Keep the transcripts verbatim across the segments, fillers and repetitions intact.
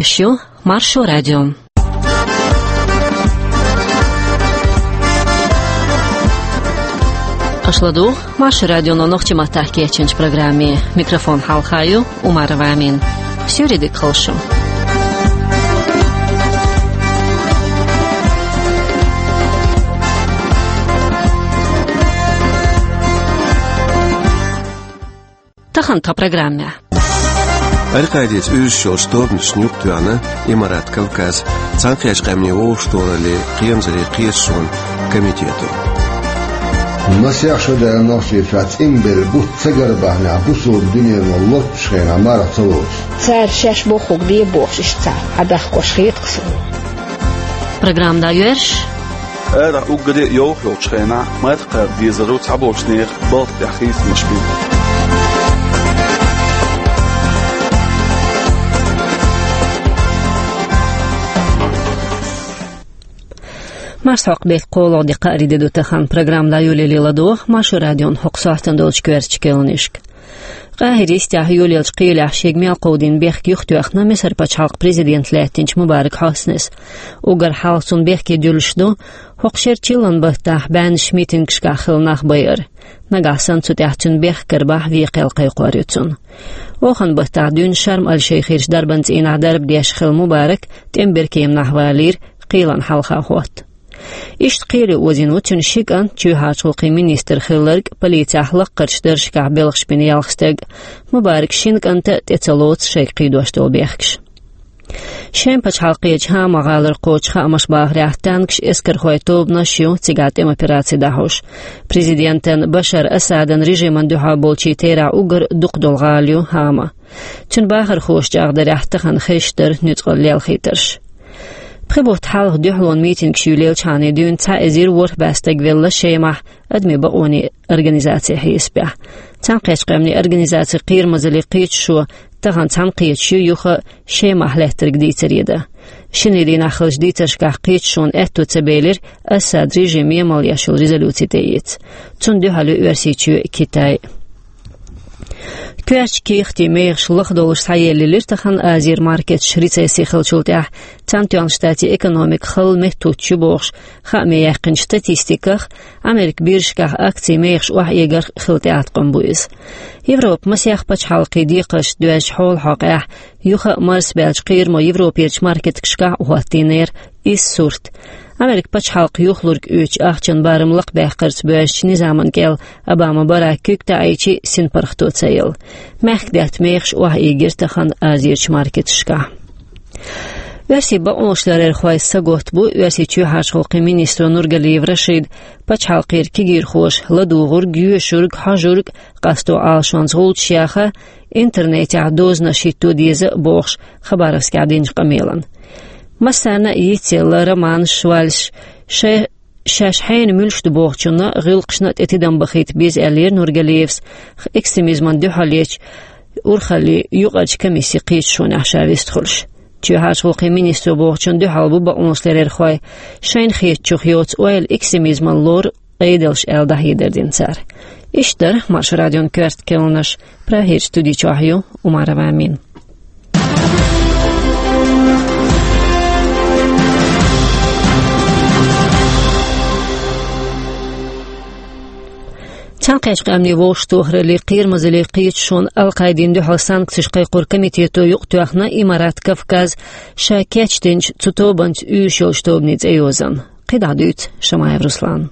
Шу Маршо радио. Аша ладугӀу Маршо радионо нохчийн маттахь кечйинчу программе. Микрофон хьалха ю Умарова Амина. Суьйре дика хуьлда шу. Тахана тхан программехь. Аль-Къаидица уьйраш йолчу тобанашна юкъатоьхна Имарат Кавказ, Цхьаьнакхеттачу Къаьмнийн Вовшахтохараллин, кхерамазаллин кхеташонан комитето. Масех шо даьлла нохчийн чохь цӀинбелла бутт ца гара бахьанехь, бусалба дуьнено лоцучу хенахь марха ца лоцуш. Цара шаьш бохург де бохуш иштта цхьа Ӏадахкош хета-кх суна. Программа дӀайоьрзуш. Арахь уггаре а йовха йолчу хенахь, марха кхаба дезаро цхьаболчу нехан балха тӀехь хийцамаш бина. Марсхьокху беттан кхоалгӀа де, кхаарин де ду тахана. Программа дӀайолале ладогӀа Маршо радион хӀокху сохьтана долчу коьртачу кхаьънашка. Къахьиран йистехь йолаеллачу кхелехь шега мел кховдийна бехк юхатоьхна Мисар пачхьалкхан президент лаьттинчу Мубарак Хьоснес. Уггар хьалха цунна бехке дуьллуш ду, хӀокху шеран чиллан баттахь баьннаш митингашкахь хилла нах байар. Нагахь санна цу тӀехь цуьнан бехк карабахь, вен кхел кхайкхор ю цунна. Оханан баттахь дуьйна Шарм-аль-Шайхерчу дарбан цӀийнахь дарба деш хилла Мубарак тӀеман беркеманахь валийра, кхелана хьалха хӀотта. Иштта кхеле озийна ву цуьнан ши кӀант, чоьхьарчу гӀуллакхийн министр хилларг, полицехь лаккхарчу даржашкахь белхаш бина ялх стаг. Мубаракан шина кӀанта а тӀе ца лоцу шайга кхийдош долу бехкаш. Шеман пачхьалкхерчу ХӀама-гӀалара кхочу хаамаша бахарехь, танкаш, эскархойн тобанаш ю цигахь тӀеман операци дӀахьош. Президентан Башар Асадан режимана дуьхьал болчийн терахь уггар дукха долу гӀала ю ХӀама. Цуьнан бахархоша чӀагӀдарехь, тахана хезаш дара нуьцкъала лелхийтарш. Пхи бутт хьалха дуьхьалонан митингаш юьйлаелчхьана дуьйна цхьа эзар ворхӀ бӀе стаг велла Шемахь адамийн бакъонийн организацин хьесапехь. Цхьаьнакхеттачу Къаьмнийн Организацин кхерамазаллин кхеташо тахана цхьаьнакхеташ ю юха Шемахь лаьттарг дийцаре дан. Шинарин дийнахь хиллачу дийцаршкахь кхеташонан аьтто ца белира Асадан режиман емал еш йолу резолюци тӀеэца. Цунна дуьхьал ю Оьрсийчоь а, Китай а. Коьртачу кехатийн мехаш лахдолуш схьаеллаелира тахана Азера маркеташ. Рецесси хиллачул тӀаьхьа Цхьаьнатоьхначу Штатийн экономика халла меттахӀуттуш ю бохуш хааме яьккхинчу статистиках, Америкин биржашкахь акцийн мехаш охьаэгарх хилла тӀеӀаткъам бу иза. Европан масех пачхьалкхийн декхаршца доьзначу хьолан хьокъехь юха а марсабаьллачу кхерамо Европерчу маркеташкахь а хӀоттийнера иза сурт. Америкин пачхьалкх юхалург оьцучу ахчанан барам лакхабаьккхарца боьзначу низаман кӀел Обама Барак куьг таӀийча а синпаргӀато ца елла. Мехкдаьтта мехаш охьаэгира тахана Азерчу маркеташкахь. Оьрсийн бакъонашларъярхойн саготта бу Оьрсийчоьнан чоьхьарчу гӀуллакхийн министро Нургалиев Рашида пачхьалкхера кегийрхоша ладугӀург, йоьшург, хьожург къасто Ӏалашонца гӀулчаш яха, интернетехь дозанаш хӀитто деза а бохуш, Хабаровскехь динчу къамелан. Массарна а йицъелла романаш, вальсаш, шай-, шаьш хьенан муьлш ду бохучунна, гӀиллакхашна тӀе тидам бахийта беза, аьллера Нургалиевс, экстремизмана дуьхьал ечу урхаллин юкъарчу комиссин кхеташонехь ша вистхуьлуш. Чоьхьарчу гӀуллакхийн министро бохучунна дуьхьал бу бакъонашларъярхой, шайна хетачух йоцу ойла экстремизмана лору Ӏедалш аьлла дӀахьедар дина цара. Иштта дара Маршо радион коьрта кхаьънаш. Прагерчу студи чохь ю Умарова Амина. Цхьаьнакхеттачу Къаьмнийн Вовшахтохараллин, кхерамазаллин кхеташонан Аль-Къаидина дуьхьал санкцеш кхайкхоран комитето юкъатоьхна Имарат Кавказ ша кечдинчу цу тобанца уьйраш йолчу тобанан цӀейозанна. КхидӀа дуьйцу Шамаев Руслана.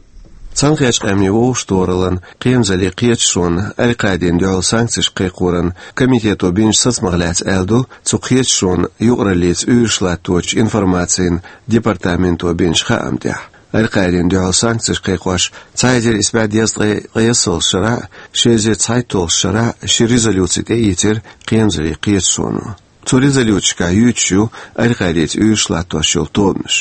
Цхьаьнакхеттачу Къаьмнийн Вовшахтохараллин, кхерамазаллин кхеташонан Аль-Къаидина дуьхьал санкцеш кхайкхоран комитето бинчу сацамах лаьцна аьлла ду цу кхеташонан юкъараллица уьйраш латточу информацин департаменто бинчу хаам тӀехь. Аль-Къаидина дуьхьал санкцеш кхайкхош цхьа эзар исс бӀе дезткъе ткъаесналгӀачу шарахь а, ши эзар цхьайтталгӀачу шарахь а ши резолюци тӀеийцира кхерамазаллин кхеташоно. Цу резолюцешкахь юьйцуш ю Аль-Къаидица уьйраш латтош йолу тобанаш.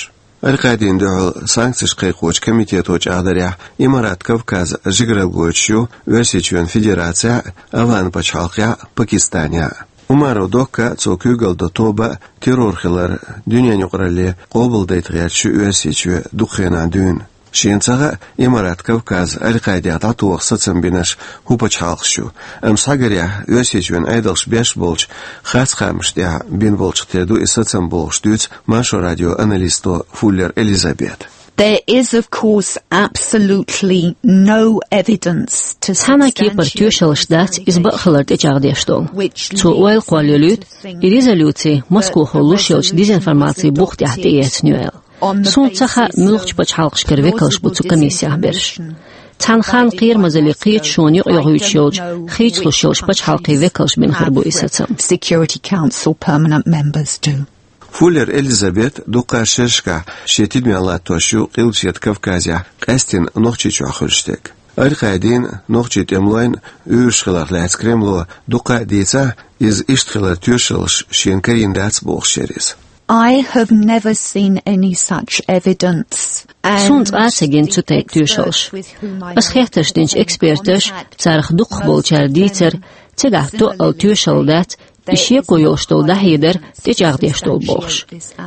Аль-Къаидина дуьхьал санкцеш кхайкхочу комитето чӀагӀдарехь, Имарат Кавказ жигаралла гойтуш ю Оьрсийчоьнан Федерацехь а, АфгӀан пачхьалкхехь а, Пакистанехь а. Умаров Докка а, цо куьйгалла до тоба а террор хилар дуьненан юкъаралле къобалдайта гӀерташ ю Оьрсийчоь дукха хенахь дуьйна. Шена ца хаьа, Имарат Кавказ Аль-Къаидех дӀатоха сацам бинарш хӀун пачхьалкхаш ю, амма схьагарехь, Оьрсийчоьнан Ӏедалш беш болчу харц кхаамашна тӀехь бина болчух тера ду и сацам, бохуш дуьйцу Маршо радион аналисто Фуллер Элизабета. There is, of course, absolutely no evidence to... Цхьана а кепара тоьшаллаш дац иза бакъ хилар тӀечӀагӀдеш долу. Цо ойла кхоллаелуьйту, и резолюци Москвахо луш йолчу дезинформацин бух тӀехь тӀеэцна ю аьлла. Суна ца хаьа, муьлхачу пачхьалкхашкара векалш бу цу комиссех берш. Цхьана ханна кхерамазаллин кхеташоне юкъайохуьйтуш йолчу хийцалуш йолчу пачхьалкхийн векалша бина хир бу и сацам. Security Council permanent members do. Фуллер Элизабет дуккха шерашкахь шен тидамехь латтош ю Къилбаседа Кавказехь, къаьсттина Нохчийчохь хуьлуш дерг. Аль-Къаидин, нохчийн тӀемалойн уьйраш хиларх лаьцна Кремло дуккха а дийцахь, иза иштта хиларан тоьшаллаш шена карийна дац, бохуш яра иза. I have never seen any such evidence. Суна цкъа а ца гина цу тайпа тоьшаллаш. Ас хеттарш динчу эксперташа, царах дукхахболчара дийцар, цигахь тоъал тоьшалла дац, и шеко йолуш долу дӀахьедар тӀечӀагӀдеш долу бохуш.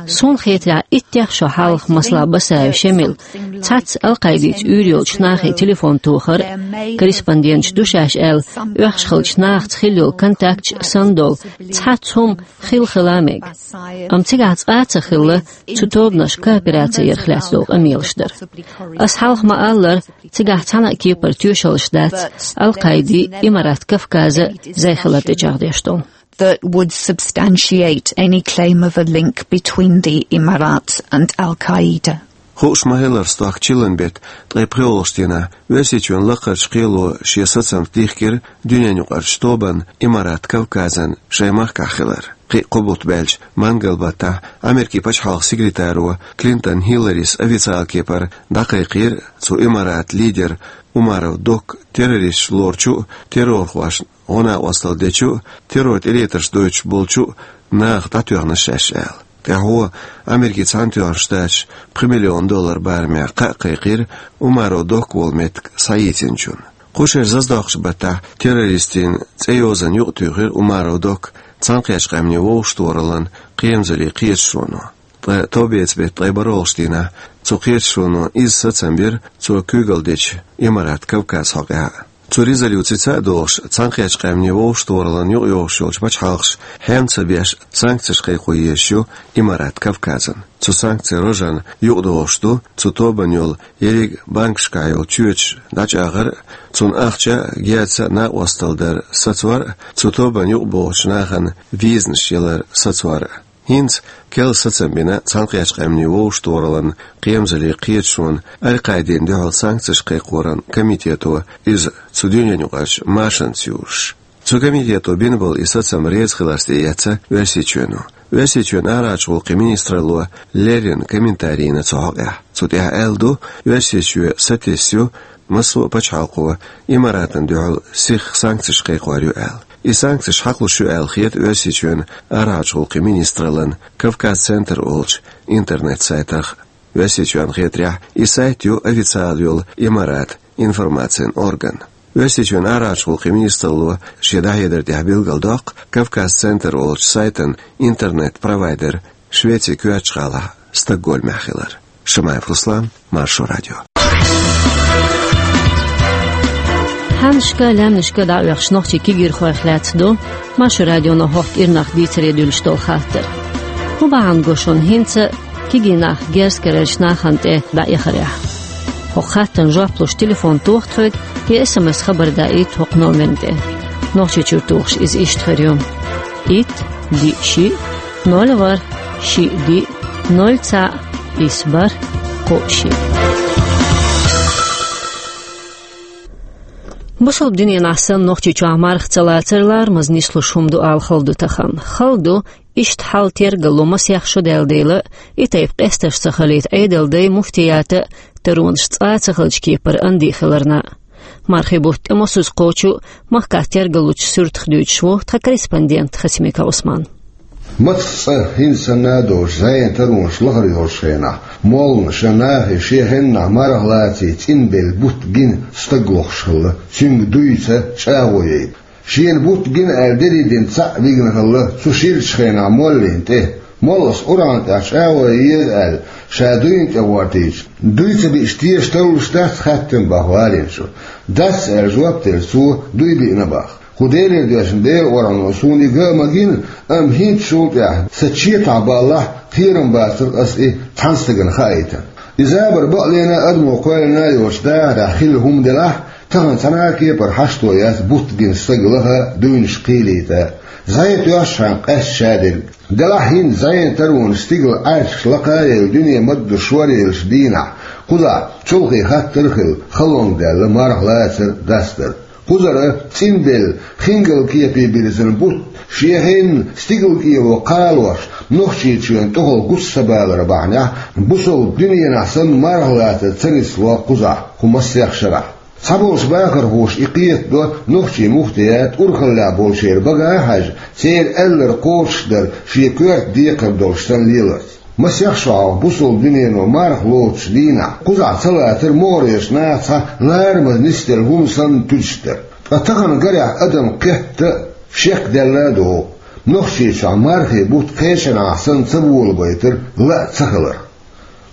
Суна хетарехь, иттех шо хьалха, масала, Басаев Шемил цхьацца Аль-Къаидица уьйр йолчу нахе телефон тохар, корреспонденташ ду шаьш аьлла, оьхуш хиллачу нахаца хилла йолу контакташ санна долу цхьацца хӀума хилла хила а мега. Амма цигахь цкъа а ца хилла цу тобанаш коопераци ярх лаьцна долу къамелаш дар. Ас хьалха ма-аллара, цигахь цхьана а кепара тоьшаллаш дац Аль-Къаиди, Имарат Кавказа зай хилар тӀечӀагӀдеш долу. That would substantiate any claim of a link between the Emirates and Al Qaeda. Хууш ма-хиллара, стохка чиллан беттан ткъе пхоьалгӀачу дийнахь Оьрсийчоьнан лакхарчу кхело шен сацамца дихкира дуьненаюкъарчу тобанна Имарат Кавказан шайн махкахь хилар. Кхин а кхо бутт баьлча, мангал баттахь Америкин пачхьалкхан секретаро Клинтон Хилларис официалан кепара дӀакхайкхийра цу Имаратан лидера Умаров Докка террористаш лоручу а, террорхошна гӀо-накъосталла дечу а, террор тӀелетарш дойтуш болчу а нахах дӀатоьхна шаьш аьлла. ТӀаьхьо Америкин Цхьаьнатоьхначу Штаташа пхи миллион доллар барамехь кхаъ кхайкхийра Умаров Докка волу меттиг схьайийцинчунна. Кху шеран зазадоккхучу баттахь террористийн цӀейозанна юкъатуьйхира Умаров Докка Цхьаьнакхеттачу Къаьмнийн Вовшахтохараллан кхерамзаллин кхеташоно. Ткъа товбеца беттан ткъе бархӀалгӀачу дийнахь цу кхеташоно изза сацам бира цо куьйгалла дечу Имарат Кавказ хьокъехь а. Цу резолюцица а догӀуш, Цхьаьнакхеттачу Къаьмнийн Вовшахтохараллан юкъайогӀуш йолчу пачхьалкхаша хьем ца беш санкцеш кхайкхо езаш ю Имарат Кавказан. Цу санкцийн рожана юкъадогӀуш ду цу тобанна йолу ерриг а банкашкахь йолу чоьташ дӀачӀагӀар а, цунна ахча а, герз а накъосталла дар сацор а, цу тобанна юкъабогӀучу нахана визанаш ялар сацор а. ХӀинца керла сацам бина Цхьаьнакхеттачу Къаьмнийн Вовшахтохараллан кхерамзаллин кхеташонан Аль-Къаидина дуьхьал санкцеш кхайкхоран комитето, иза цу дуьненаюкъарчу машанца юзуш. Цу комитето бина болу и сацам реза хиларца тӀеэцна Оьрсийчоьно. Оьрсийчоьнан арахьарчу гӀуллакхийн министралло леррина комментарий йина цу хьокъехь. Цу тӀехь аьлла ду, Оьрсийчоь сатесна ю массо а пачхьалкхо Имаратана дуьхьал сиха санкцеш кхайкхор ю аьлла. И санкцеш хьакхалуш ю аьлла хета Оьрсийчоьнан арахьарчу гӀуллакхийн министраллан Кавказ-центр олучу интернет-сайтах. Оьрсийчоьнна хетарехь, и сайт ю официалан йолу Имаратан информацин орган. Оьрсийчоьнан арахьарчу гӀуллакхийн министралло шен дӀахьедар тӀехь билгалдоккху Кавказ-центр олучу сайтан интернет-провайдер Швецин коьртачу гӀалахь Стокгольмехь хилар. Шамаев Руслан, Маршо радио. Хьаннашка, лаьмнашка дӀаоьхуш нохчийн кегийрхойх лаьцна ду Маршо радионо хӀокху кӀирнах дийцаре дуьллуш долу хаттар. ХӀун бахьана го шуна хӀинца кегий нах герз карарчу нахана тӀе дӀаэхарехь? ХӀокху хаттарна жоп луш телефон тоха тхоьга, я эс эм эс хабар даийта хӀокху номерна тӀе. Нохчийчуьра тухуш иза иштта хир ю: итт, диъ, шиъ, ноль, ворхӀ, шиъ, диъ, ноль, цхьаъ, исс, бархӀ, кхоъ, шиъ. Бусалба динехь санна Нохчийчохь марха ца лацар ларамаза нислуш хӀума ду ала хала ду тахана. Хала ду, иштта хьал тергалло масех шо даьлла дела, и тайпа къестарш ца хилийта Ӏедалан дай, муфтият а таронаш цкъа а ца хиллачу кепара анди хиларна. Мархийн бутт тӀе мосазза кхочу а махкахь тергаллучу суьртах дуьйцуш ву тхан корреспондент Хасимиков Ӏусман. Мацах цӀа хӀинца санна а доцуш, зӀенан таронаш лахара йолчу хенахь, молланаша нахе шен хеннахь марха лаций цӀинбелла бутт гина стаг лохуш хилла, цуьнга дуй ца, чӀагӀо яйта. Шена бутт гина аьлла, дерриг а дина цхьаъ вигна хилла цу ширачу хенахь моллина тӀе. Моллас Къуръан тӀехь чӀагӀо е еза аьлла, ша дуйна тӀе гӀортийча, дуй ца биъча, теша тарлуш дац хаьттина боху гӀалимчо. Дац аьлла жоп делла, цо дуй биъна боху. Кху Делера доьзна Делан Къуръано суна и ган а ма гина, амма хӀинцачул тӀаьхьа сан четахь баллахь, кхерам бацара ас и цхьана стагана хаийтар. И забар бакълена адамо кхоьллина йолчу дахарехь хилла хӀума делахь, тахана цхьана а кепара хьашто яц бутт гина стаг лаха, дуйнаш кхийлийта. ЗӀе тоьшшахьана къаьсташ а дерг. Делахь хӀинца зӀенан таронаш стигала Ӏаьржаш лакха а елла, дуьне ма-дду шоръеллачу дийнахь, кхузахь чолхе хаттар а хилла, халонга даьлла марха лацар, дастар. Кхузара цӀинделла, хингал кепе бирзина бутт, шен хенна стигала кӀело кхалош, Нохчийчоьнан тӀехула гуш ца балар бахьанехь, бусалба дуьненахь санна марха лацар ца нисло кхузахь кху массех шарахь. Цхьаболчу бахархоша и кхетадо нохчийн муфтият урхаллехь болчеран бага а хьаьжна, церан аьлларг кхочушдар шен коьрта декхар долуш санна леларца. Масех шо хьалха бусалба дуьнено марха лоцучу дийнахь кхузахь ца лацар могӀарерчу наха цхьа ларамаза нисделла хӀума санна туьдуш дара. Ткъа тахана гарехь адам кхетта а, шек даьлла а догӀу, Нохчийчохь мархийн бутт кхечанхьа санна ца болабайтар ла а ца хилар.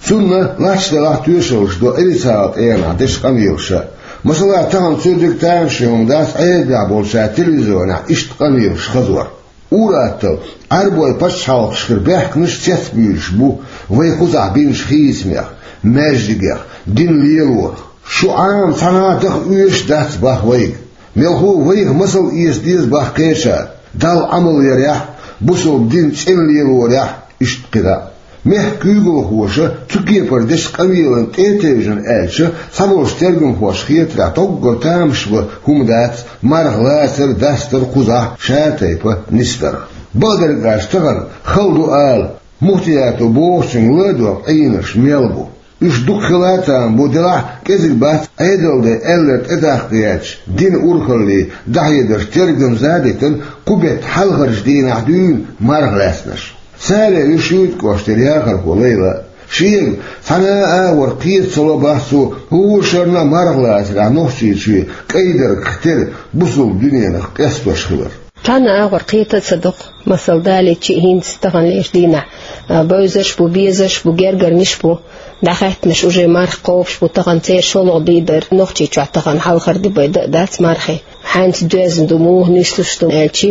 Цунна лач делахь тоьшаллаш до Ӏедалан тӀегӀанехь дечу къамелаша. Масала, тахана цуьрриг тамашийна хӀума дац Ӏедалехь болчара телевизионехь иштта къамелаш хазор. Ур-атталла, Ӏаьрбойн пачхьалкхашкара баьхкинарш цецбуьйлуш бу вай кхузахь бинчу хийцамех, маьждигех, дин лелорах. Шу Ӏама цхьанхьа а даха оьшуш дац боху вайга. Мелхо а вайх масал эца деза боху кхечара, Далла Ӏамал ярехь а, бусалба дин цӀена лелорехь а, иштта кхидӀа а. Мехкан куьйгалхоша цу кепара дечу къамелана тӀе а тевжина аьлча, цхьаболчу тергамхошна хетарехь, доггара тамаш бан хӀума дац марха лацар, дастар кхузахь ша тайпа нисдарх. Бакъдерг аьлча, тахана хала ду ала, муфтиято бохучуьнга ладогӀа Ӏийнарш мел бу. Уьш дукха хила а там бу, делахь а кӀезиг бац Ӏедалан ден аьлларг тӀедаккха гӀерташ, динан урхалле дӀахьедарш тергамза а дитина, кху беттан хьалхарчу дийнахь дуьйна марха лаьцнарш. Царах ю ШуьйтӀа кӀоштара яхархо Лайла. Шега цхьана а агӀор кхета ца ло боху цо, хӀора шарна а марха лацарехь Нохчийчоь кӀайдаргах тера бусалба дуьненах къестош хилар. Цхьана а агӀор кхета а ца до-кх, масала, далийча а, хӀинца тахана лелачу дийнахь, а, бевзарш а бу, безарш а бу, гергарниш а бу, дӀахаьттинарш уже марха кхобуш бу, тахана церан шолгӀа де дара, Нохчийчохь тахана хьалхара де бен дан а дац мархи. Хьаьнца доьзна ду, муха нислуш ду аьлча,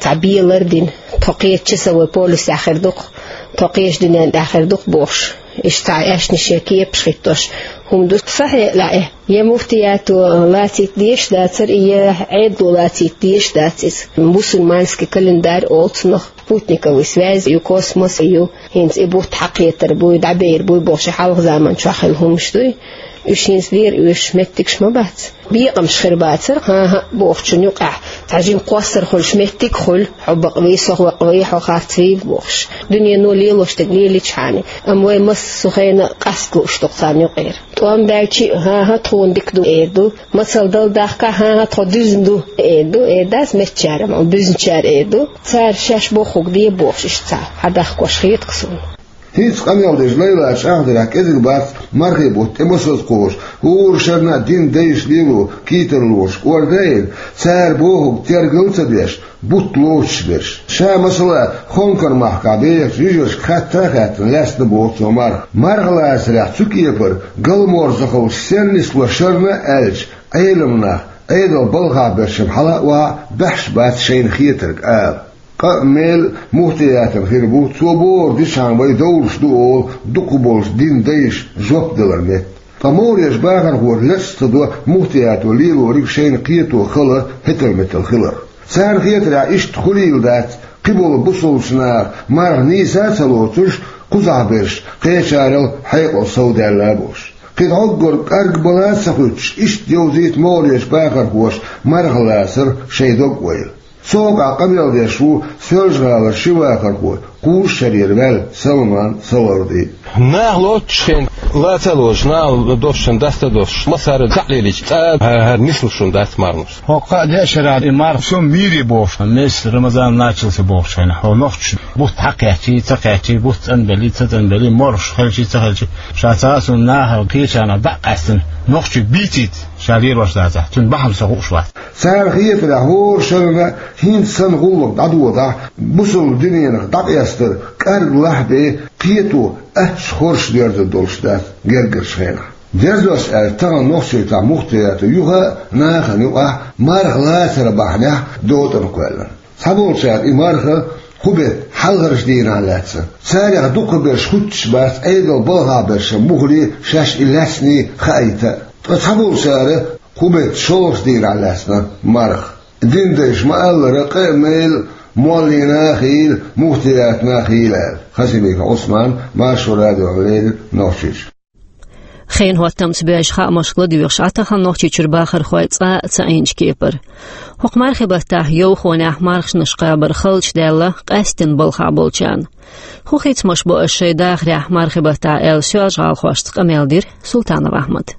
цхьа белар а дина, тхо кхечу часовой поясехь хир ду-кх, тхо кхечу дуьненна тӀехь хир ду-кх бохуш. Иштта цхьа аьшнаш я кепаш хӀиттош хӀума ду. Сан хьекъалехь, я муфтиято лацийта дезаш дацара, я Ӏедало лацийта дезаш дац иза. Мусульманский календарь олу цунах, спутниковый связь ю, космос ю. ХӀинца и бутт хьакхетар буй, дӀабер буй бохуш, и хьалха заманчохь хилла хӀумаш дуй. Уьш хӀинца дера оьшуш меттигаш ма бац. Бекъамаш хир бацара, хӀан-хӀа бохучун юкъехь, цхьа жима кхоссар хуьлуш меттиг а хуьлу, хьо бакъвий, со вакъвий, хьо харцвий бохуш. Дуьнено лелош дерг лелийчхьана, амма вай массо а хенахь къаста лууш ду-кх царна юкъера. ТӀом баьлча а, хӀан-хӀа, тхуна дика ду, эр ду. Мацалла дала дахкахь, хӀан-хӀа, тхо дуьзна ду, эр ду, эр дац меттачара, амма буьзначара эр ду. Цара шаьш бохург де бохуш, иштта цхьа хьадахкош хета-кх суна. ХӀинца къамел деш Лайла чӀагӀдарехь, кӀезиг бац мархи бутт тӀе масаза кхочуш, хӀора шарна а дин дайша лело кийтарлонаш кӀордийна, цара бохург тергал а ца деш, бутт лоцуш берш. Ша, масала, Хонкар махкахь бехачу йижаршка хатта а хаьттина, лаьцна боху цо марха. Марха лацарехь цу кепара галморзахаллаш сенна нисло шарна а аьлча, Ӏелам нах, Ӏедалан балхахь берш-м хьала а охьа а баьхьаш бац шайна хетарг ала. Къа а, мел а муфтиятана хир бу, цо бохург дичхьана вай довлуш ду олу дукхахболчу дин дайша жоп далар метта. Ткъа могӀарерчу бахархоша лечкъа ца до муфтиято лелориг шайна кхето хала хӀетал-метал хилар. Царна хетарехь, иштта хуьлийла дац, кхиболу бусалбачу наха марха нийса а ца лоцуш, кхузахь берш кхечарал хьекъал совдаьлла а болуш. Кхин дӀоггара кӀаргбала а ца хуьттуш, иштта йовзийта могӀарерчу бахархоша марха лацар шайн дог-ойла. Цу хьокъехь къамел деш ву Соьлжа-ГӀалара ши вахархо, кхузткъа шарера ваьлла Салман Саларди. Наха лоцуш хенахь лаца а лоцуш, наха доцучун даста а доцуш, массара а кхаъ лелийча, цкъа а хӀара нислуш хӀума дац марханаш. ХӀокху кхаа-деа шарахь и марха сум мийре бохуш, месяц Рамазан начался бохучу хенахь, хьо нохчаша бутт хьакхаьччий, ца кхаьччий, бутт цӀанбеллий, ца цӀанбеллий, морхаш хилчий, ца хилчий, ша цхьа а сум нахала кхечанхьа дӀа а къаьстина, Нохчий бийцийта ша лелош дацахь, цуьнан бахьана со хууш вац. Цара хетарехь, хӀора шарна хӀинца санна гӀуллакх дӀадодахь, бусалба диненах дӀакъастар кӀарглахь бен, кхето аттачу хорша доьрзур долуш дац гергарчу хенахь. Дерзош аьлча, тахана Нохчийчохь муфтиятан юха а, нахана юкъахь а марха лацаран бахьанехь дотӀана кхоьллина. Цхьаболчара и марха кху беттан хьалхарчу дийнахь лаьцна. Царех дукхахберш хуьттуш бац Ӏедал балхахь берш муххале а, шаьш и лаьцний хаийта а. Ткъа цхьаболчара кху беттан шолгӀачу дийнахь лаьцна марха. Динан дайша ма-аллара, къа а мел моллина а хийла, муфтиятна а хийла аьлла, Хасимиков Ӏусмана Маршо радиона леррина Нохчийчуьра. Хенан хӀоттамца боьжна хаамашка ладоьгӀуш Ӏа тахана Нохчийчуьра бахархой цкъа а ца Ӏийначу кепара. ХӀокху мархийн баттахь Йовхонехь марханаш кхабар халчу даьлла къаьсттина балхахь болчарна. ХӀун хица-м бу ас шайн дахарехь мархийн баттахь аьлла, соьлжа-гӀалахошца къамел дира Султанов Ахьмада.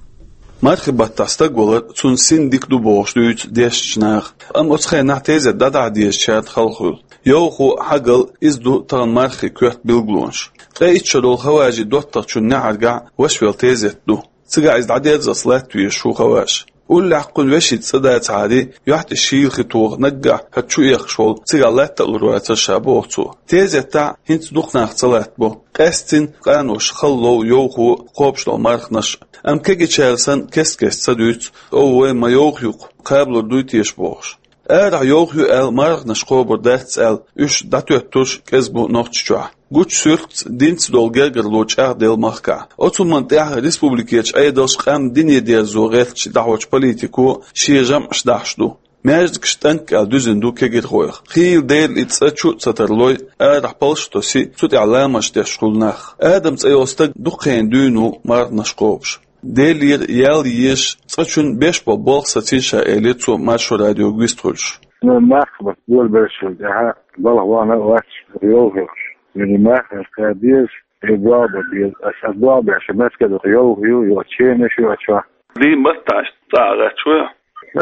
Мархийн баттахь стаг валар цунна син дика ду бохуш дуьйцу дешначу наха. Амма оцу хенахь тезет дӀадахьа дезачаьрга хала хуьлу. Йовхо, хьогалла, иза ду тахана мархийн коьрта билгалонаш. Ткъе итт шо долу Хаважин доттагӀчун неӀаргахь ваша велла тезет ду. Цигахь иза дӀадерзалц латта везаш ву Хаваж. Уллехь кхуьнан вешица цӀа дацахьара, юьхь тӀе шийла хи тоха наггахь хӀара чу экхаш волу цигахь латта а лур вацара ша, боху цо. Тезетахь хӀинца дукха нах ца латтабо. Къаьсттина къанош хала лов Йовхо кхобуш долу марханаш. Амма кегийчара санна кест-кеста ца дуьйцу, ов, вай ма Йовха ю-кх, кхабалур дуй теша бохуш. Арахь Йовха ю аьлла, марханаш кхобур дац аьлла, уьш дӀатоьттурш кӀезиг бу Нохчийчохь. Гучу суьртаца динца долу гергарло чӀагӀделла махкахь. Оцу хӀуманна тӀехь республикерчу Ӏедалша къам дине дерзо гӀертачу дӀахьочу политико шен жамӀаш дахьаш ду. Маьждигаш тӀанкӀ аьлла дуьзина ду кегирхойх. Хийла дера и цӀа чу а ца тарлой, арахь палш а тосий, цу тӀехь ламазаш деш хуьлу нах. Адам цӀе йолу стаг дукха хенахь дуьйна ву марханаш кхобуш. Делера ял езаш, цкъачунна беш болу болх сацийша, элира цо Маршо радиога вистхуьлуш. Ну, марханаш болабеллачул тӀаьхьа балха вахана а вац Йовха. Мила марханаш кхаба беза, и болх бан беза. Аса, аса болх беш, меттиг ду-кх, Йовха ю, йо, ченаш ю а чохь. Дийна баттахь цӀа а гӀаьтташ ву?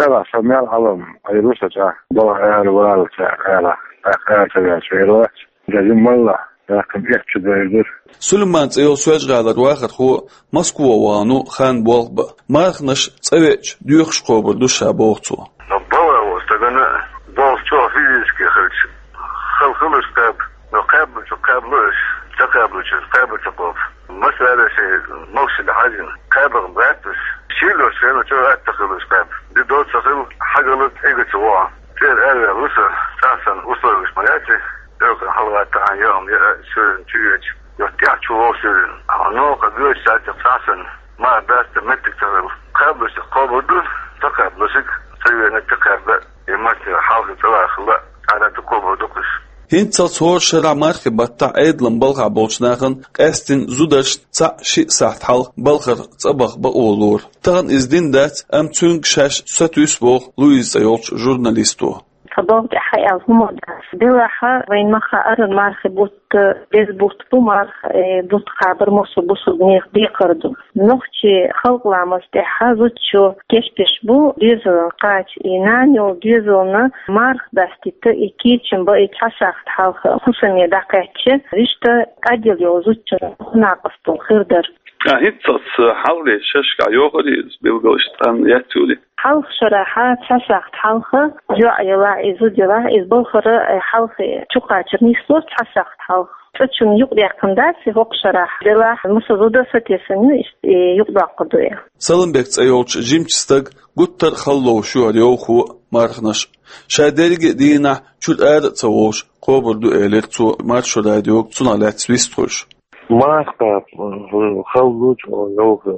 Ара, со мел Ӏалам, Ӏийр ву со цӀа, балха ара валлалц ара, тӀаккха ара ца ваьлча вер вац. Деза малла, тӀаккха эцчу дайр дара. Сулайман цӀе йолу Соьлжа-ГӀалара вахархо Москва вахана ву хан болх бан. Марханаш цӀа веача доьхуш кхобур ду ша, боху цо. Но балха волу стагана болх чӀогӀа физически хилча, хала хуьлуш кхаба, но кхаьбначу кхаьбало аш, ца кхаьбначу кхаба ца кхоба. Масала, шайн могушалла хьаьжжина, кхаба гӀерташ, шийла йолчу хенахь чӀогӀа атта хуьлуш кхаба. Де доцу ца хилла, хьогалла тӀе а ца вахана, цӀера араваьлла ву со, цхьа санна условиеш ма яц и, тӀе хьалагӀаттахьана яа хӀума яа, суьйранна чу йоьдуш, я тӀаьхьа чу вогӀу суьйранна. Хьо новкъа гойтуш цхьаьнакхетта цхьа санна, марха даста меттиг ца хилла. Кхаблуш кхобур ду, ца кхаблушиг ца вена тӀе кхаба, и маттера хьалха цӀа ваха хилла, цхьаьна тӀе кхобур ду-кх уьш. ХӀинццалц хӀора шарахь мархийн баттахь Ӏедалан балхахь болчу нахана къаьсттина зударшна цхьаъ-шиъ сахьт хьалха балхара цӀа баха бакъо лору. Тахана иза дина дац, амма цуьнга шаьш сатуьйсу боху Луиза цӀе йолчу журналисто. Тхан балха тӀехь аьлла хӀума дац. Делахь, вайн махкахь ара мархийн бутт, деза бутт бу, марха, э, бутт кхабар массо а бусулба нехан декхар ду. Нохчийн халкъан ламаз тӀехь зудчо кечдеш бу доьзална кхача, и нана йолу доьзална марха дастийта, и кийчам бан, и цхьа сахьт хьалха хӀусаме дӀакхаьчча, вуьшта кӀадъелла йолу зудчун накъосталла хир дара. Ткъа хӀинццалц хьалхалера шерашкахь йохура иза билгалш, цкъа яц юьлий? Хьалха шарахь цхьа сахьт хьалха, йоӀ елахь, и зуда елахь, иза балхара, э, хьалха чукхачар нислора цхьа сахьт хьалха. ЦӀа чунна юкъадаьккхина дац и хӀокху шарахь, делахь, массо а зуда сатесна ю, иштта, э, юкъадоккхур ду и. Саламбек цӀе йолчу жимачу стага гуттар а хала ловш ю хӀара Йовхо а, марханаш а. Ша дерриге а дийнахь чуьра ара а ца вогӀуш кхобур ду, элира цо Маршо радиога цунах лаьцна вистхуьлуш. Марха кхаба хала ду чӀогӀа Йовхо.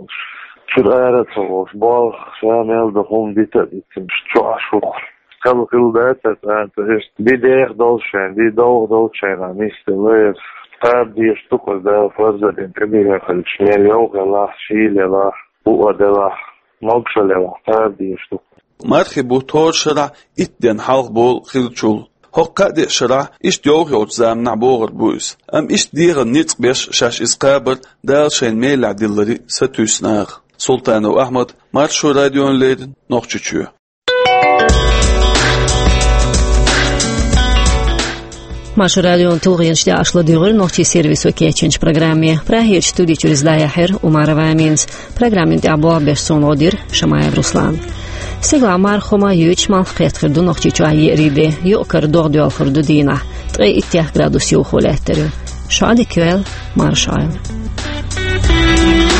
Чуьра ара а ца вогӀуш, болх, ша мел ду хӀума дита а дитина, чу Ӏаш ву-кх. Хала хилла дац аса, цӀа иштта, де деха долчу шайна, де довха долчу шайна нисделла иза. Кхаба дезаш ду-кх иза, Дала фарз а дина, тӀедиллина хилча, мел Йовха елахь, шийла елахь, буа делахь, могушалла елахь, кхаба дезаш ду-кх. Мархийн бутт хӀора шарахь итт денна хьалха болу хиллачул, хӀокху кхаа-деа шарахь иштта Йовха йолчу заманахь богӀур бу иза. Амма иштта дегӀан ницкъ беш шаьш иза кхабар Дала шайна мелехь дилларе сатуьйсу наха. Султанов Ахьмад, Маршо радиона леррина, Нохчийчоь. Маршо радион тулгӀенаш дӀаьхьа ладугӀура нохчийн сервисо кечйинчу программе. Прагерчу студи чуьра иза дӀаяьхьира Умарова Аминас. Программин тӀехь болх беш суна гӀо дира Шамаев Руслана. Стигалахь марха хӀума, юьйцуш малх кхетта хир ду Нохчийчохь еарин де, юкъ-кара догӀа доьлхур ду дийнахь, ткъе иттех градус юха лаьттар ю. Шун дика йойла, марша Ӏойла.